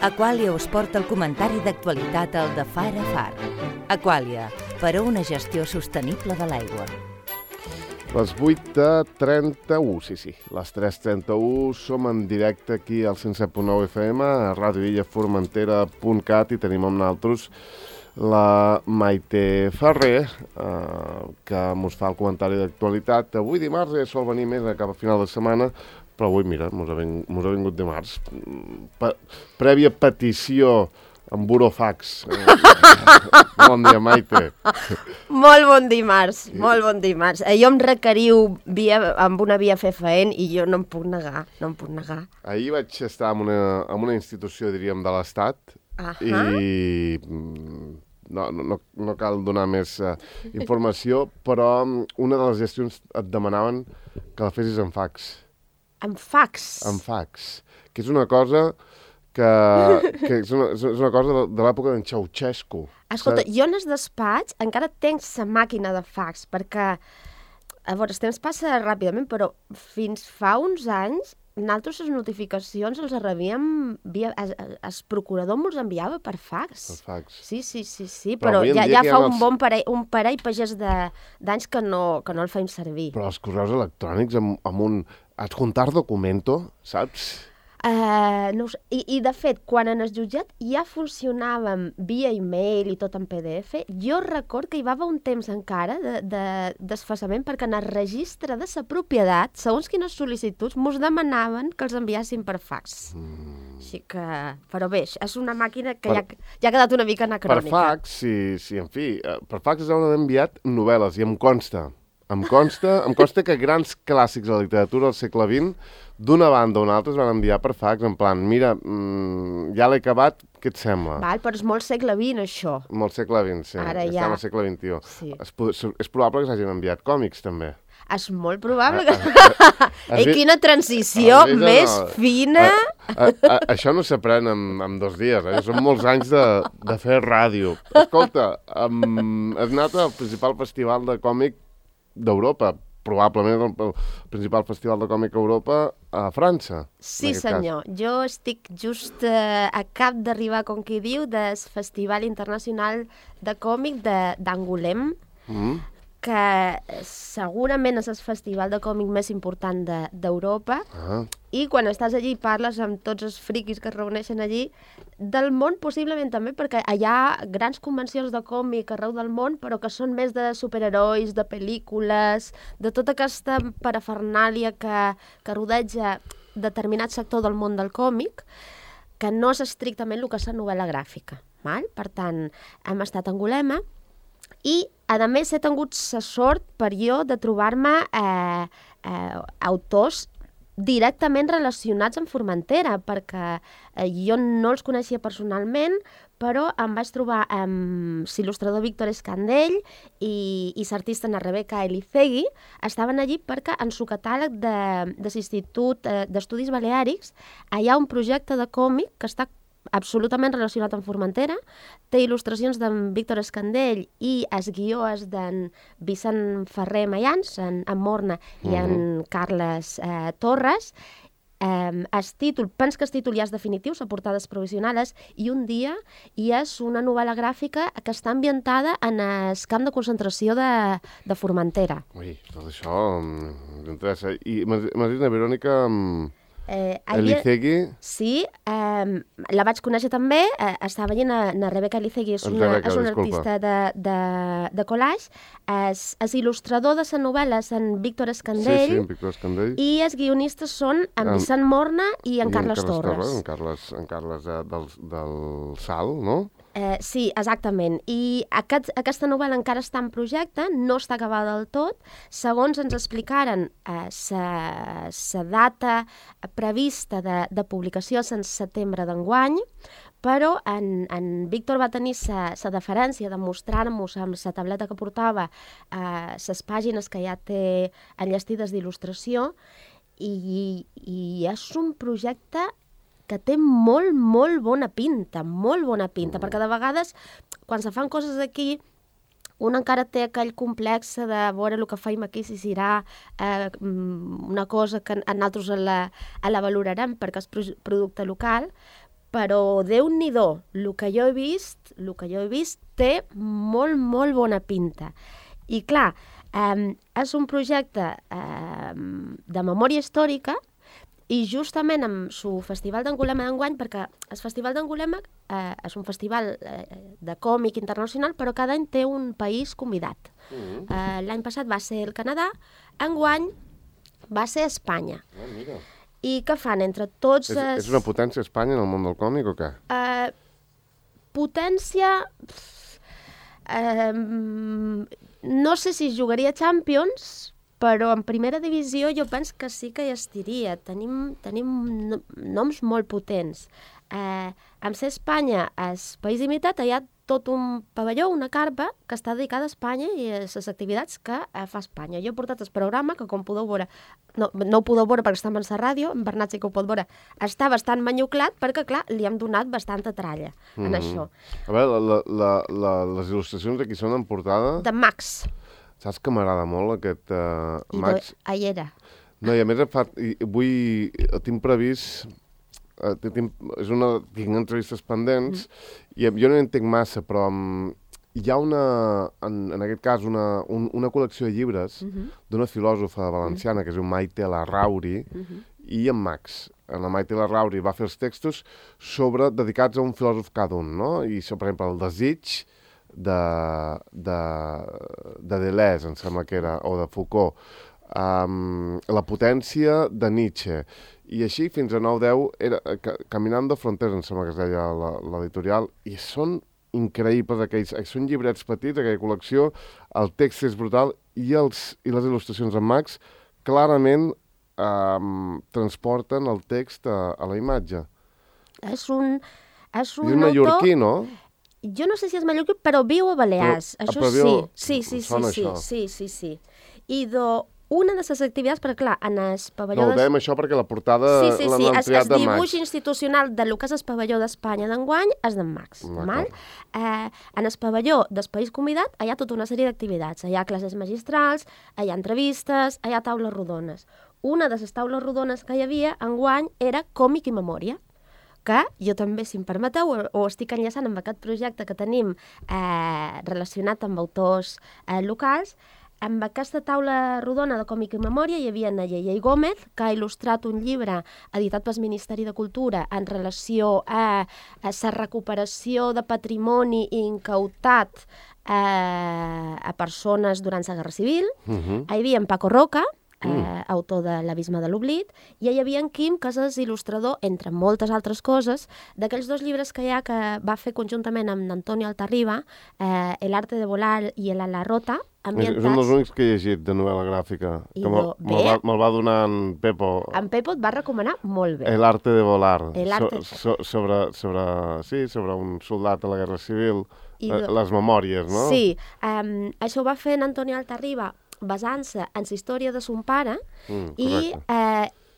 Aquàlia us porta el comentari d'actualitat al de Far a Far. Aquàlia, per a una gestió sostenible de l'aigua. Les 8:31, sí, les 3:31, som en directe aquí al 107.9 FM, a radioillaformentera.cat, i tenim amb nosaltres la Maite Ferrer, que ens fa el comentari d'actualitat. Avui dimarts ja sol venir més cap a final de setmana, però avui, mira, mos ha vingut dimarts. Prèvia petició amb burofax. Bon dia, Maite. Molt bon dimarts, molt bon dimarts. Jo em requeriu amb una via FFN i jo no em puc negar, Ahir vaig estar en una institució, diríem, de l'Estat, i no cal donar més informació, però una de les gestions et demanaven que la fessis en fax. En fax? En fax, que és una cosa que és una cosa de l'època d'en Ceausescu. Escolta, jo en el despatx encara tenc la màquina de fax, perquè, a veure, el temps passa ràpidament, però fins fa uns anys nosaltres les notificacions els rebíem el procurador ens enviava per fax. Per fax. Sí, però ja fa un parell pagès d'anys que no el feim servir. Però els correus electrònics amb un adjuntar documento, saps? No, i de fet, quan en el jutjat ja funcionàvem via e-mail i tot en PDF, jo record que hi va haver un temps encara de desfasament perquè en el registre de la propietat, segons quines sol·licituds, mos demanaven que els enviassin per fax. Així que, però bé, és una màquina que ja ha quedat una mica anacrònica. Per fax, sí, en fi, per fax es deuen enviat novel·les, i em consta que grans clàssics de la literatura del segle XX, d'una banda o una altra, es van enviar per fax, en plan, mira, ja l'he acabat, què et sembla? Val, però és molt segle XX, això. Molt segle XX, sí. Ara estem al segle XXI. Sí. És probable que s'hagin enviat còmics, també. És molt probable que... Ei, quina transició més fina! Això no s'aprèn en 2 dies, són molts anys de fer ràdio. Escolta, has anat al principal festival de còmic d'Europa, probablement el principal festival de còmic a Europa, a França. Sí, senyor. Jo estic just a cap d'arribar, com qui diu, del Festival Internacional de Còmic d'Angoulême, que segurament és el festival de còmic més important d'Europa, i quan estàs allí parles amb tots els friquis que es reuneixen allí, del món possiblement també, perquè hi ha grans convencions de còmic arreu del món, però que són més de superherois, de pel·lícules, de tota aquesta parafernàlia que rodeja determinat sector del món del còmic, que no és estrictament el que és la novel·la gràfica. Per tant, hem estat a Angoulême, i, a més, he tingut la sort per jo de trobar-me autors directament relacionats amb Formentera, perquè jo no els coneixia personalment, però em vaig trobar amb l'il·lustrador Víctor Escandell i l'artista Rebeca Elizegui. Estaven allí perquè en el catàleg de l'Institut d'Estudis Baleàrics hi ha un projecte de còmic que està absolutament relacionat amb Formentera, té il·lustracions d'en Víctor Escandell i el guió és d'en Vicent Ferrer Mayans, en Morna i en Carles Torres. El títol, penso que el títol ja és definitiu, les portades provisionals, i un dia hi és una novel·la gràfica que està ambientada en el camp de concentració de Formentera. Ui, tot això m'interessa. I m'has dit, Verònica... Elizegui? Sí, la vaig conèixer també, estava veient na Rebeca Elizegui, és una artista de collage, és il·lustrador de la novel·la, és en Víctor Escandell, sí, en Víctor Escandell, i els guionistes són en Vicent Morna i en Carles Torres. En Carles del Sal, no? Sí, exactament. I aquesta novel·la encara està en projecte, no està acabada del tot. Segons ens explicaren, la data prevista de publicació és en setembre d'enguany, però en Víctor va tenir la deferència de mostrar-nos amb la tableta que portava les pàgines que ja té enllestides d'il·lustració, i és un projecte que té molt bona pinta, perquè de vegades, quan se fan coses aquí, un encara té aquell complex de veure el que feim aquí, si serà una cosa que nosaltres la valorarem perquè és producte local, però Déu-n'hi-do, el que jo he vist té molt, molt bona pinta. I clar, és un projecte de memòria històrica i justament amb el Festival d'Angulema d'enguany, perquè el Festival d'Angulema és un festival de còmic internacional, però cada any té un país convidat. L'any passat va ser el Canadà, enguany va ser Espanya. Mira. I què fan entre tots... És una potència Espanya en el món del còmic o què? Potència... no sé si jugaria Champions, però en primera divisió jo penso que sí que hi estiria. Tenim noms molt potents. Amb ser Espanya, el país imitat, hi ha tot un pavelló, una carpa, que està dedicada a Espanya i a les activitats que fa Espanya. Jo he portat el programa, que com podeu veure, no ho podeu veure perquè està en la ràdio, en Bernat sí que ho pot veure, està bastant manyuclat perquè, clar, li hem donat bastanta tralla en això. A veure, les il·lustracions aquí són en portada... De Max. Saps que m'agrada molt aquest Max? Ahí era. No, i a més tinc previst... tinc entrevistes pendents i jo no entenc massa, però hi ha en aquest cas una col·lecció de llibres d'una filòsofa valenciana que es diu Maite Larrauri i en Max. La Maite Larrauri va fer els textos dedicats a un filòsof cada un, no? I, per exemple, el desig de Deleuze, em sembla que era, o de Foucault, la potència de Nietzsche, i així fins a 9-10 era Caminando Fronteras, em sembla que es deia l'editorial, i són increïbles aquells, són llibrets petits, aquella col·lecció, el text és brutal i les il·lustracions en Max clarament transporten el text a la imatge. És un autor... mallorquí, no? Jo no sé si és mallorquí, però viu a Balears, això sí. Sí. I una de les activitats, perquè clar, en el pavelló... No, ho dèiem això perquè la portada l'han triat de Max. El dibuix institucional del que és el pavelló d'Espanya d'enguany és d'en Max. En el pavelló del país convidat hi ha tota una sèrie d'activitats. Hi ha classes magistrals, hi ha entrevistes, hi ha taules rodones. Una de les taules rodones que hi havia enguany era còmic i memòria, que jo també, si em permeteu, ho estic enllaçant amb aquest projecte que tenim relacionat amb autors locals. Amb aquesta taula rodona de còmic i memòria hi havia Nayeli Gómez, que ha il·lustrat un llibre editat pel Ministeri de Cultura en relació a la recuperació de patrimoni incautat a persones durant la Guerra Civil. Hi havia en Paco Roca, autor de L'abisme de l'oblit, i hi havia en Quim, que és il·lustrador, entre moltes altres coses, d'aquells dos llibres que hi ha que va fer conjuntament amb Antonio Altarriba, El arte de volar i El ala rota, ambientats... És un dels únics que he llegit de novel·la gràfica, que me'l va donar en Pepo. En Pepo et va recomanar molt bé. El arte de volar, sobre un soldat a la Guerra Civil, les memòries, no? Sí, això ho va fer en Antonio Altarriba, basant-se en la història de son pare, i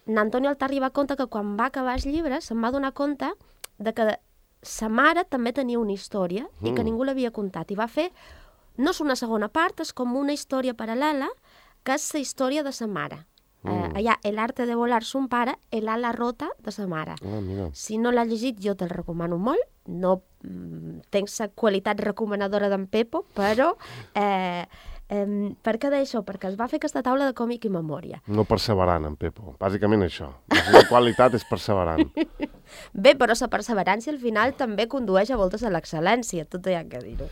Antonio Altarriba conta que quan va acabar el llibre se'n va donar compte de que sa mare també tenia una història i que ningú l'havia contat, i va fer, no és una segona part, és com una història paral·lela, que és la història de sa mare. Hi ha El arte de volar son pare, El ala rota de sa mare. Si no l'ha llegit, jo te'l recomano molt. No tenc la qualitat recomanadora d'en Pepo, però... per què d'això? Perquè es va fer aquesta taula de còmic i memòria. No perseverant, en Pepo. Bàsicament això. La qualitat és perseverant. Bé, però la perseverància al final també condueix a voltes a l'excel·lència, tot hi ha que dir-ho.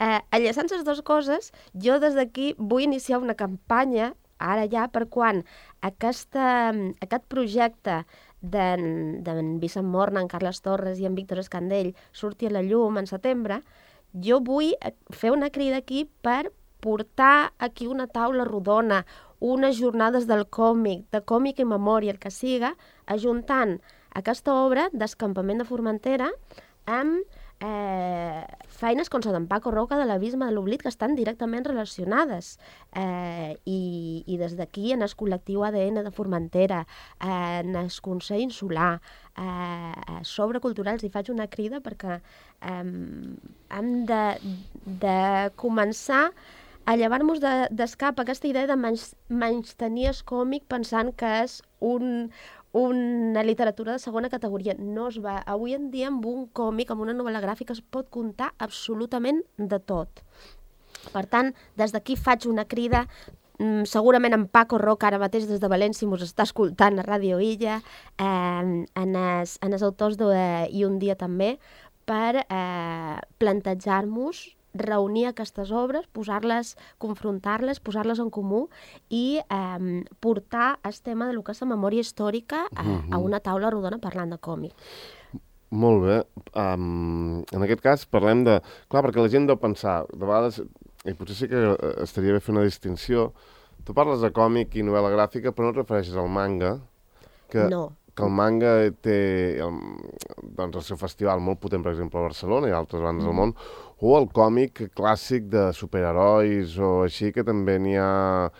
Enllaçant les dues coses, jo des d'aquí vull iniciar una campanya, ara ja, per quan aquest projecte d'en Vicent Morna, en Carles Torres i en Víctor Escandell surti a la llum en setembre, jo vull fer una crida aquí per portar aquí una taula rodona, unes jornades del còmic, de còmic i memòria, el que siga, ajuntant aquesta obra d'Escampament de Formentera amb feines com la d'en Paco Roca de l'abisme de l'oblit, que estan directament relacionades. I des d'aquí, en el col·lectiu ADN de Formentera, en el Consell Insular, sobre culturals, hi faig una crida perquè hem de començar a llevar-nos d'escap aquesta idea de menystenir el còmic pensant que és una literatura de segona categoria. No es va... Avui en dia, amb un còmic, amb una novel·la gràfica, es pot contar absolutament de tot. Per tant, des d'aquí faig una crida, segurament en Paco Roca, ara mateix des de València, mos està escoltant a Ràdio Illa, en els autors I un dia també, per plantejar-nos reunir aquestes obres, posar-les, confrontar-les, posar-les en comú i portar el tema de lo que és la memòria històrica a una taula rodona parlant de còmic. Molt bé. En aquest cas parlem de... Clar, perquè la gent deu pensar, de vegades, i potser sí que estaria bé fer una distinció, tu parles de còmic i novel·la gràfica, però no et refereixes al manga, que el manga té doncs, el seu festival molt potent, per exemple, a Barcelona i a altres bandes del món, o el còmic clàssic de superherois o així, que també n'hi ha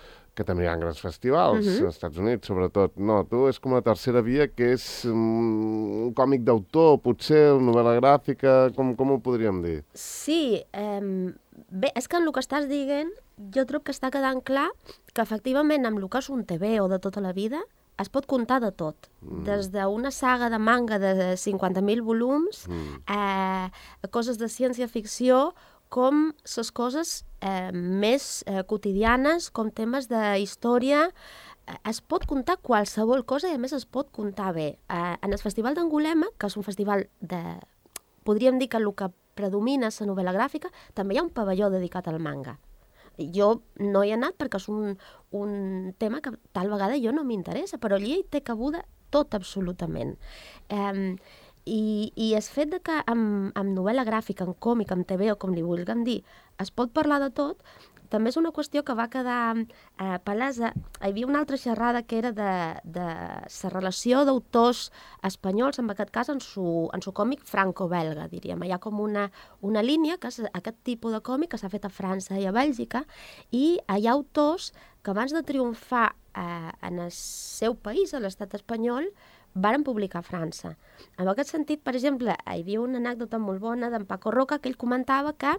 grans festivals, als Estats Units, sobretot. No, tu és com la tercera via, que és un còmic d'autor, potser, novel·la gràfica, com ho podríem dir? Sí, bé, és que en el que estàs dient, jo trobo que està quedant clar que efectivament amb el que és un TVO de tota la vida es pot contar de tot, des d'una saga de manga de 50.000 volums a coses de ciència-ficció, com les coses més quotidianes, com temes de història. Es pot contar qualsevol cosa i a més es pot contar bé. En el Festival d'Angulema, que és un festival de... Podríem dir que el que predomina és la novel·la gràfica, també hi ha un pavelló dedicat al manga. Jo no hi he anat perquè és un tema que tal vegada jo no m'interessa, però allí hi té cabuda tot absolutament. I el fet de que amb novel·la gràfica, en còmic, amb TV o com li vulguem dir, es pot parlar de tot, també és una qüestió que va quedar palesa. Hi havia una altra xerrada que era de la relació d'autors espanyols, en aquest cas en su còmic franco-belga, diríem. Hi ha com una línia, que és aquest tipus de còmic que s'ha fet a França i a Bèlgica, i hi ha autors que abans de triomfar en el seu país, a l'estat espanyol, varen publicar a França. En aquest sentit, per exemple, hi havia una anècdota molt bona d'en Paco Roca, que ell comentava que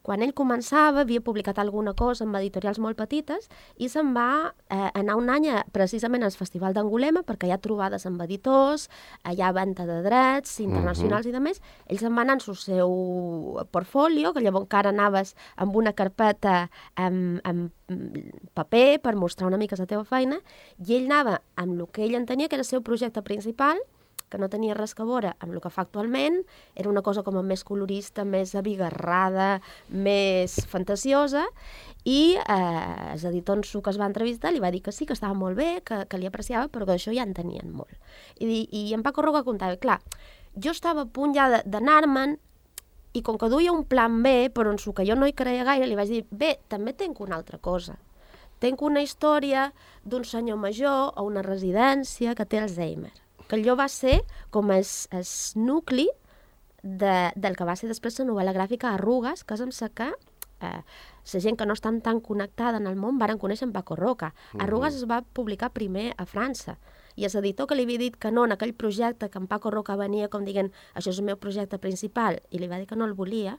quan ell començava havia publicat alguna cosa amb editorials molt petites i se'n va anar un any precisament al Festival d'Angulema perquè hi ha trobades amb editors, hi ha venda de drets internacionals i de més. Ell se'n va anar en el seu portfolio, que llavors encara anaves amb una carpeta amb paper per mostrar una mica la teva feina, i ell anava amb el que ell entenia que era el seu projecte principal, que no tenia res a veure amb el que fa actualment, era una cosa com a més colorista, més abigarrada, més fantasiosa, i els editors que es va entrevistar li va dir que sí, que estava molt bé, que li apreciava, però que d'això ja en tenien molt. I en Paco Roca contava, clar, jo estava a punt ja d'anar-me'n, i com que duia un plan B, però en el que jo no hi creia gaire, li vaig dir, bé, també tenc una altra cosa. Tenc una història d'un senyor major a una residència que té Alzheimer, que allò va ser com el nucli del que va ser després la novel·la gràfica Arrugues, que és amb la que la gent que no estan tan connectada en el món varen conèixer en Paco Roca. Arrugues es va publicar primer a França, i l'editor que li havia dit que no en aquell projecte, que en Paco Roca venia com dient això és el meu projecte principal, i li va dir que no el volia,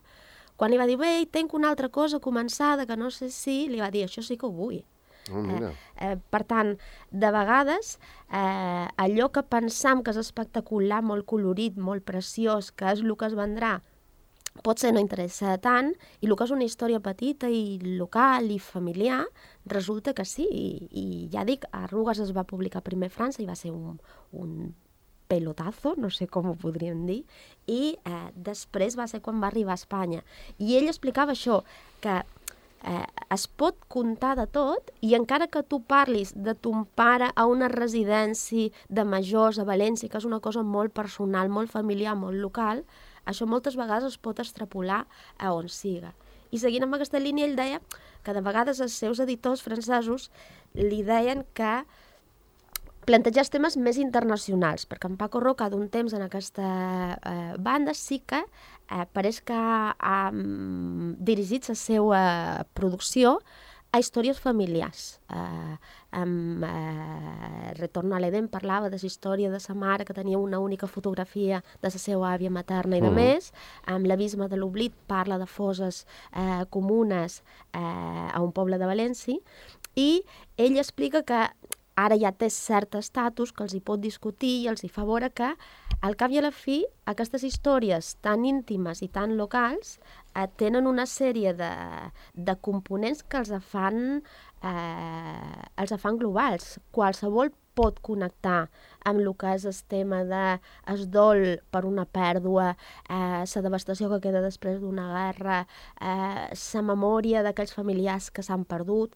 quan li va dir, bé, tenc una altra cosa començada que no sé si, li va dir, això sí que ho vull. Per tant, de vegades allò que pensam que és espectacular, molt colorit, molt preciós, que és el que es vendrà, pot ser no interessa tant, i el que és una història petita i local i familiar, resulta que sí. I ja dic, Arrugues es va publicar primer a França i va ser un pelotazo, no sé com ho podríem dir, i després va ser quan va arribar a Espanya. I ell explicava això, que es pot contar de tot, i encara que tu parlis de ton pare a una residència de majors a València, que és una cosa molt personal, molt familiar, molt local, això moltes vegades es pot extrapolar a on siga. I seguint amb aquesta línia, ell deia que de vegades els seus editors francesos li deien que plantejar temes més internacionals, perquè en Paco Roca d'un temps en aquesta banda sí que pareix que ha dirigit la seva producció a històries familiars. Amb Retorno a l'Eden parlava de la història de sa mare, que tenia una única fotografia de la seva àvia materna i de més. Amb l'Abisme de l'Oblit parla de fosses comunes a un poble de València, i ell explica que ara ja té cert estatus que els hi pot discutir i els hi fa veure que, al cap i a la fi, aquestes històries tan íntimes i tan locals tenen una sèrie de components que els fan globals. Qualsevol pot connectar amb el que és el tema del dol per una pèrdua, la devastació que queda després d'una guerra, la memòria d'aquells familiars que s'han perdut.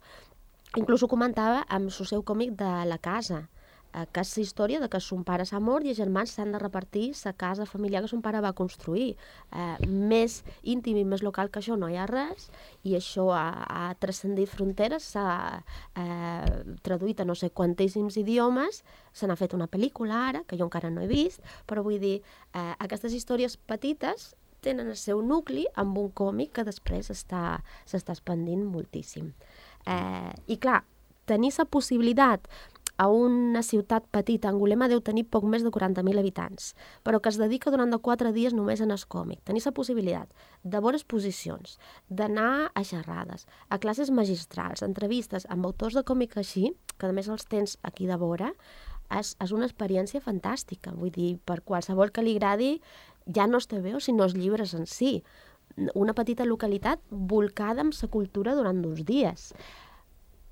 Inclús ho comentava amb el seu còmic de La casa, que és la història de que son pare s'ha mort i els germans s'han de repartir la casa familiar que son pare va construir. Més íntim i més local que això no hi ha res, i això ha transcendit fronteres, s'ha traduït a no sé quantíssims idiomes, se n'ha fet una pel·lícula ara, que jo encara no he vist, però vull dir, aquestes històries petites tenen el seu nucli amb un còmic que després s'està expandint moltíssim. I clar, tenir la possibilitat a una ciutat petita, Angulema deu tenir poc més de 40.000 habitants, però que es dedica durant 4 dies només en el còmic. Tenir la possibilitat de veure exposicions, d'anar a xerrades, a classes magistrals, entrevistes amb autors de còmic així, que a més els tens aquí de vora, és una experiència fantàstica. Vull dir, per qualsevol que li agradi, ja no es TVO, sinó els llibres en si. Una petita localitat volcada amb la cultura durant 2 dies.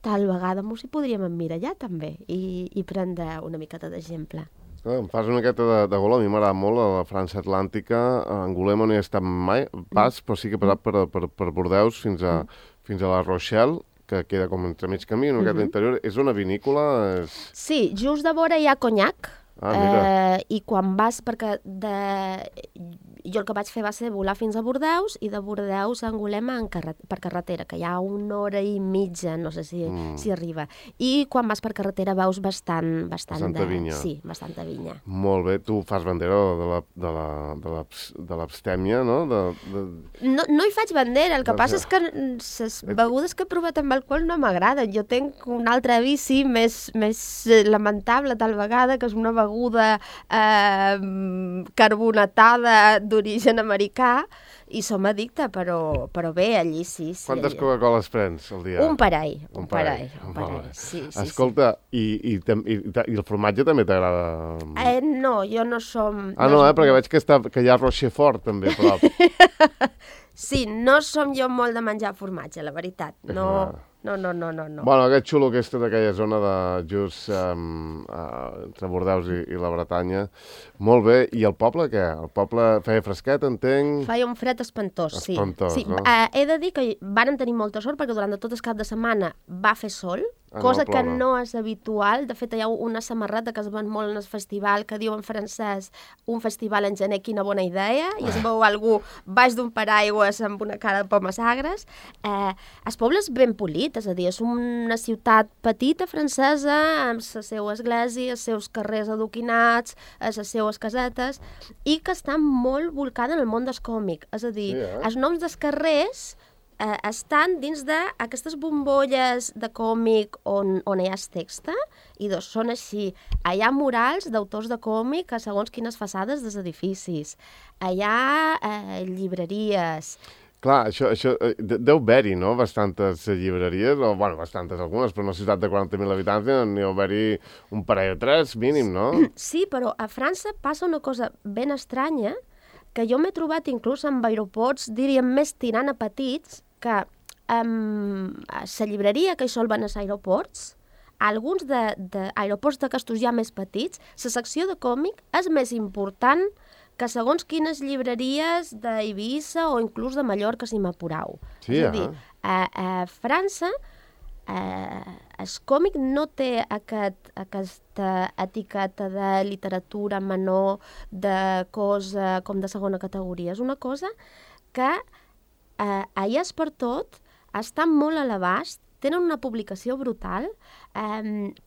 Tal vegada m'ho hi podríem emmirallar també i prendre una miqueta d'exemple. Em fas una miqueta de gol, a mi m'agrada molt la França Atlàntica, a Angulema no hi he estat mai, pas, però sí que he passat per Bordeus fins a la Rochelle, que queda com entre mig camí, una miqueta interior. És una vinícola? Sí, just de vora hi ha Cognac, i quan vas, perquè jo el que vaig fer va ser volar fins a Bordeus i de Bordeus a Angulema per carretera, que hi ha 1 hora i mitja, no sé si arriba. I quan vas per carretera veus bastant vinya. Sí, bastanta vinya. Molt bé, tu fas bandera de l'abstèmia, no? No hi faig bandera, el que passa és que les begudes que he provat amb alcohol no m'agraden. Jo tinc un altre vici més lamentable tal vegada, que és una beguda carbonatada d'origen americà, i som addicte, però bé, allí sí. Quantes Coca-Coles prens al dia? Un parell. Sí. Escolta, i el formatge també t'agrada? No, jo no som... Perquè veig que hi ha Rochefort també a prop. Sí, no som jo molt de menjar formatge, la veritat. No. Bueno, aquest xulo que és tota aquella zona de just entre Bordeus i la Bretanya. Molt bé. I el poble, què? El poble feia fresquet, entenc? Feia un fred espantós, sí. No? He de dir que vàrem tenir molta sort perquè durant tot el cap de setmana va fer sol, cosa que no és habitual. De fet, hi ha una samarreta que es ven molt en el festival que diu en francès un festival en gener, quina bona idea, i es veu algú baix d'un paraigües amb una cara de pomes agres. El poble és ben polit, és a dir, és una ciutat petita francesa amb la seva església, els seus carrers adoquinats, les seues casetes, i que està molt volcada en el món del còmic. És a dir, els noms dels carrers estan dins d'aquestes bombolles de còmic on hi ha el text, i són així. Hi ha murals d'autors de còmic a segons quines façades dels edificis. Hi ha llibreries. Clar, això deu haver-hi, no?, bastantes llibreries, o, bueno, bastantes algunes, però una ciutat de 40.000 habitants n'hi deu haver-hi un parell o 3, mínim, no? Sí, però a França passa una cosa ben estranya, que jo m'he trobat inclús amb aeroports, diríem, més tirant a petits, que la llibreria que hi sol van als aeroports, alguns d'aeroports d'aquestos ja més petits, la secció de còmic és més important que segons quines llibreries d'Eivissa o inclús de Mallorca, si m'apurau. Sí, és a dir, a França el còmic no té aquesta etiqueta de literatura menor, de cosa com de segona categoria. És una cosa que allà és per tot, està molt a l'abast, tenen una publicació brutal.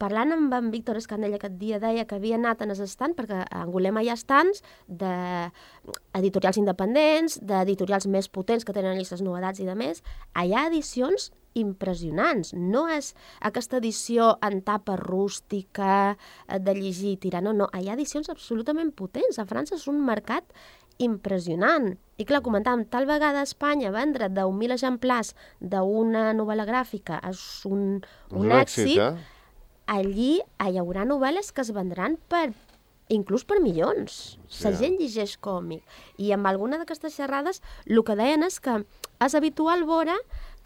Parlant amb en Víctor Escandell aquest dia, deia que havia anat en els estands, perquè a Angulema hi ha estands d'editorials independents, d'editorials més potents que tenen llistes novetats i de més. Hi ha edicions impressionants. No és aquesta edició en tapa rústica de llegir i tirar, no. Hi ha edicions absolutament potents. A França és un mercat impressionant. I clar, comentàvem, tal vegada a Espanya vendre 10.000 exemplars d'una novel·la gràfica és un èxit, allí hi haurà novel·les que es vendran inclús per milions. La gent llegeix còmic. I amb alguna d'aquestes xerrades el que deien és que és habitual veure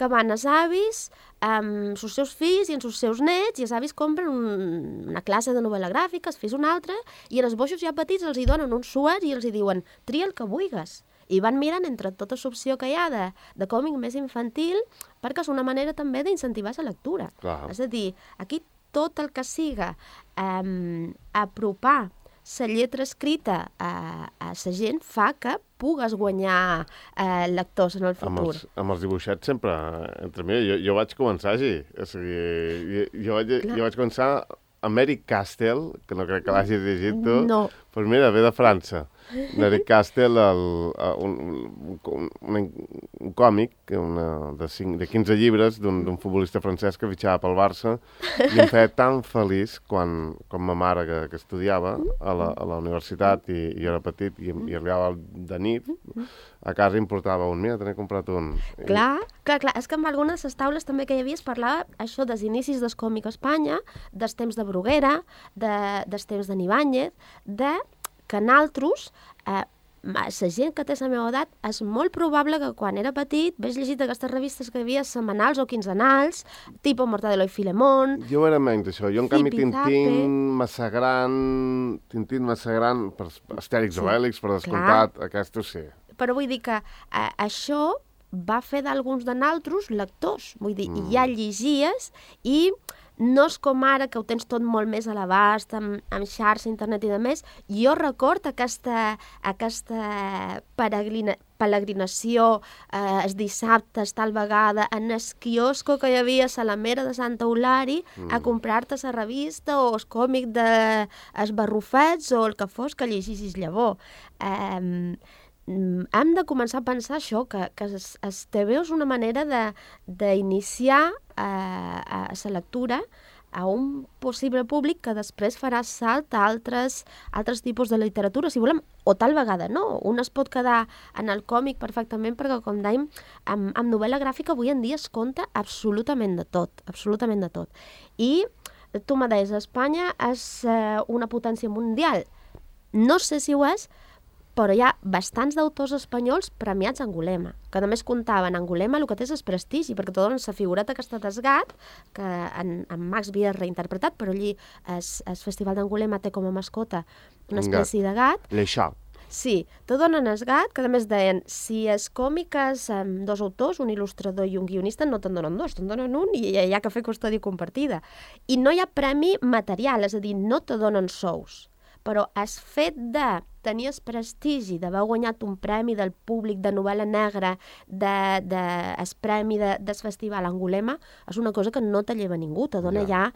que van els avis amb els seus fills i amb els seus nets, i els avis compren una classe de novel·la gràfica, els fills una altra, i els boixos ja petits els hi donen un suet i els hi diuen tria el que vulguis. I van mirant entre tota l'opció que hi ha de còmic més infantil, perquè és una manera també d'incentivar la lectura. Clar. És a dir, aquí tot el que siga apropar la lletra escrita a la gent fa que pugues guanyar lectors en el futur. Amb els dibuixets sempre, entre mi, jo vaig començar així. O sigui, jo vaig començar a Eric Castell, que no crec que l'hagis llegit tu. No. Doncs mira, ve de França. Eric Castell, un còmic de 15 llibres d'un futbolista francès que fitxava pel Barça, i em feia tan feliç quan ma mare, que estudiava a la universitat, i jo era petit, i arribava de nit a casa i em portava un. Mira, te n'he comprat un. Clar. És que amb algunes de les taules també que hi havia es parlava això dels inicis del còmic a Espanya, dels temps de Bruguera, dels temps de Ibáñez, que nosaltres, la gent que té la meva edat, és molt probable que quan era petit vés llegit aquestes revistes que hi havia setmanals o quinzenals, tipus Mortadelo i Filemón. Jo era menys això. Jo, en canvi, Tintín, Massa Gran, per Astèrix o Obèlix, per descomptat, aquestos sí. Però vull dir que això va fer d'alguns de nosaltres lectors. Vull dir, ja llegies i no és com ara, que ho tens tot molt més a l'abast, amb xarxa, internet i demés. Jo record aquesta peregrinació els dissabtes, tal vegada, en el quiosco que hi havia a Salamera de Santa Eulàri, a comprar-te la revista o el còmic dels Barrufets o el que fos que llegissis llavors. Hem de començar a pensar això, que el TVO és una manera d'iniciar la lectura a un possible públic que després farà salt a altres tipus de literatura, si volem, o tal vegada no. Un es pot quedar en el còmic perfectament perquè, com dèiem, amb novel·la gràfica avui en dia es conta absolutament de tot, absolutament de tot. I tu me deies, Espanya és una potència mundial. No sé si ho és, però hi ha bastants d'autors espanyols premiats a Angulema, que només comptaven Angulema el que té és prestigi, perquè te donen la figureta aquesta d'Esgat, que en Max havia reinterpretat, però allí el Festival d'Angulema té com a mascota una espècie de gat. L'Eixà. Sí, te donen Esgat, que a més deien, si és còmic és amb dos autors, un il·lustrador i un guionista, no te'n donen dos, te'n donen un i hi ha que fer custòdia compartida. I no hi ha premi material, és a dir, no te donen sous, però el fet de tenir el prestigi d'haver guanyat un premi del públic de novel·la negra, el premi del Festival Angulema, és una cosa que no te lleva ningú, te dona ja,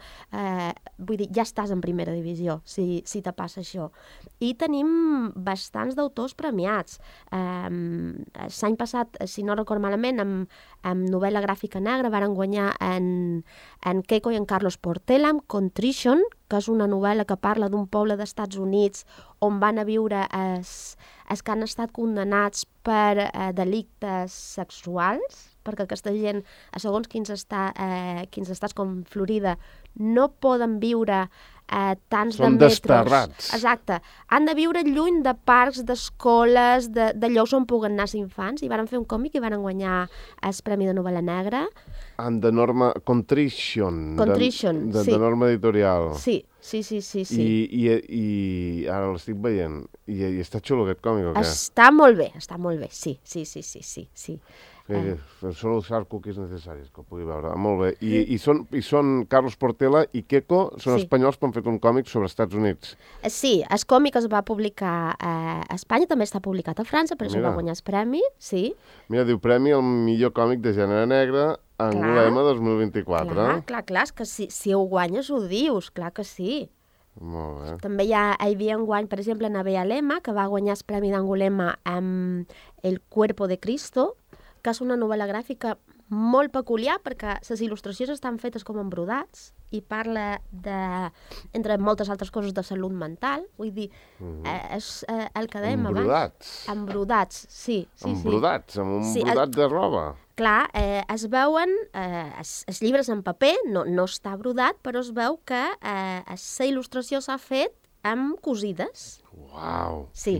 vull dir, ja estàs en primera divisió, si te passa això. I tenim bastants d'autors premiats. L'any passat, si no record malament, amb novel·la gràfica negra varen guanyar en Keiko i en Carlos Portela, amb Contrition, que és una novel·la que parla d'un poble dels Estats Units on van a viure els que han estat condemnats per delictes sexuals, perquè aquesta gent, a segons quins estats com Florida, no poden viure tants de metres. Són desterrats. Exacte. Han de viure lluny de parcs, d'escoles, de llocs on puguen anar els infants, i van fer un còmic i van guanyar el Premi de Novel·la Negra. De Norma Contrition. Contrition, sí. De Norma Editorial. Sí. I ara l'estic veient. I està xulo aquest còmic o què? Està molt bé, sí. Solo usar cookies necessaris, que ho pugui veure. Molt bé. I són Carlos Portela i Keiko, són espanyols que han fet un còmic sobre els Estats Units. Sí, el còmic es va publicar a Espanya, també està publicat a França, per això va guanyar el premi, sí. Mira, diu Premi al millor còmic de gènere negre Angulema 2024. Clar, és que si ho guanyes ho dius, clar que sí. Molt bé. També hi havia un guany, per exemple, Navea Lema, que va guanyar el Premi d'Angulema amb El cuerpo de Cristo, que és una novel·la gràfica molt peculiar perquè les il·lustracions estan fetes com embrodats i parla entre moltes altres coses de salut mental, vull dir, és el que dèiem abans. Embrodats? Embrodats, sí. Embrodats, amb un brodat de roba? clar, es veuen els llibres en paper, no està brodat, però es veu que la il·lustració s'ha fet amb cosides. Uau! Sí,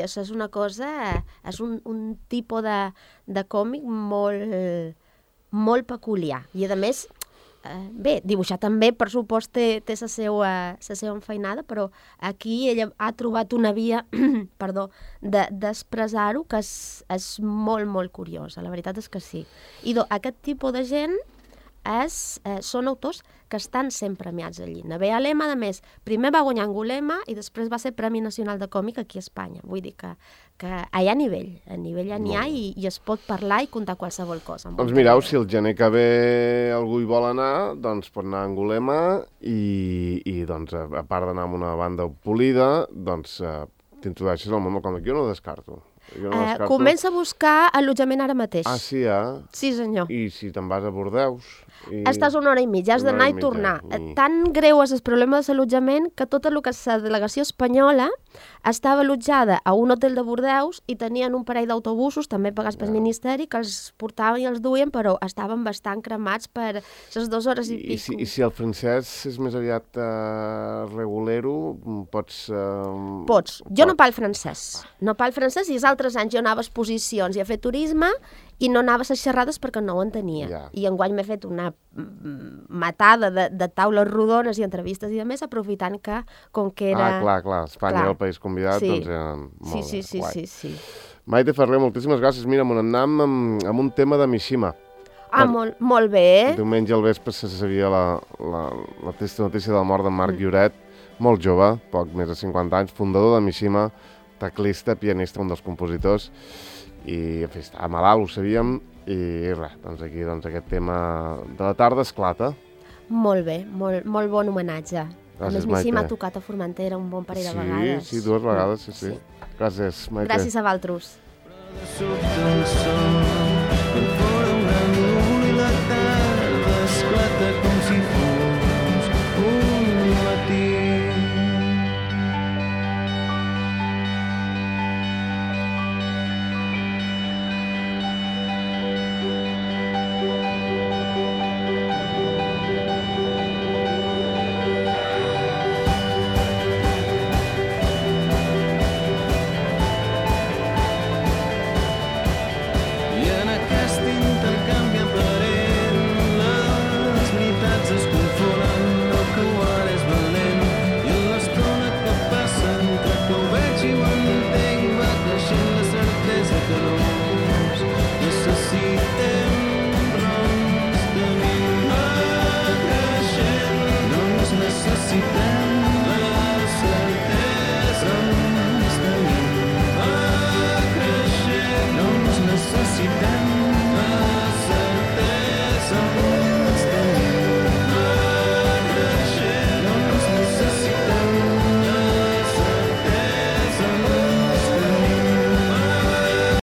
això és una cosa, és un tipus de còmic molt peculiar. I a més, bé, dibuixar també, per supost, té la seva enfeinada, però aquí ella ha trobat una via d'expressar-ho que és molt, molt curiosa. La veritat és que sí. I aquest tipus de gent són autors que estan sempre premiats allí. Nevé Alema, a més, primer va guanyar Angulema i després va ser Premi Nacional de Còmic aquí a Espanya. Vull dir que hi ha nivell ja n'hi ha i es pot parlar i contar qualsevol cosa. Doncs mireu, si el gener que ve algú hi vol anar, doncs pot anar a Angulema i doncs, a part d'anar amb una banda polida, doncs t'introdueixes al món del còmic. Jo no ho descarto. Comença a buscar allotjament ara mateix. Ah, sí, Sí, senyor. I si te'n vas a Bordeus? Estàs una hora i mitja, has d'anar i tornar. Tan greu és el problema de l'allotjament que tot el que és la delegació espanyola estava allotjada a un hotel de Bordeus i tenien un parell d'autobusos, també pagats pel Ministeri, que els portaven i els duien, però estaven bastant cremats per les 2 hores i pico. I si el francès és més aviat regulero, pots... Pots. Jo no parlo francès. No parlo francès i els altres anys jo anava a exposicions i a fer turisme i no anava a les xerrades perquè no ho entenia. Ja. I enguany m'he fet una matada de taules rodones i entrevistes i de més, aprofitant que, com que era... Clar, Espanya era el país convidat, sí. Doncs era molt guai. Sí. Maite Ferrer, moltíssimes gràcies. Mira, m'ho anem amb un tema de Mishima. Molt bé. Diumenge al vespre se sabia la trista notícia de la mort de Marc Lloret, molt jove, poc més de 50 anys, fundador de Mishima, teclista, pianista, un dels compositors, i en fi, estava malalt, ho sabíem, i res, doncs aquí aquest tema de la tarda esclata. Molt bé, molt bon homenatge. Gràcies, a més, Mishima ha tocat a Formentera un bon parell de vegades. Sí, 2 vegades, sí. Gràcies, Maite. Gràcies a vosaltres.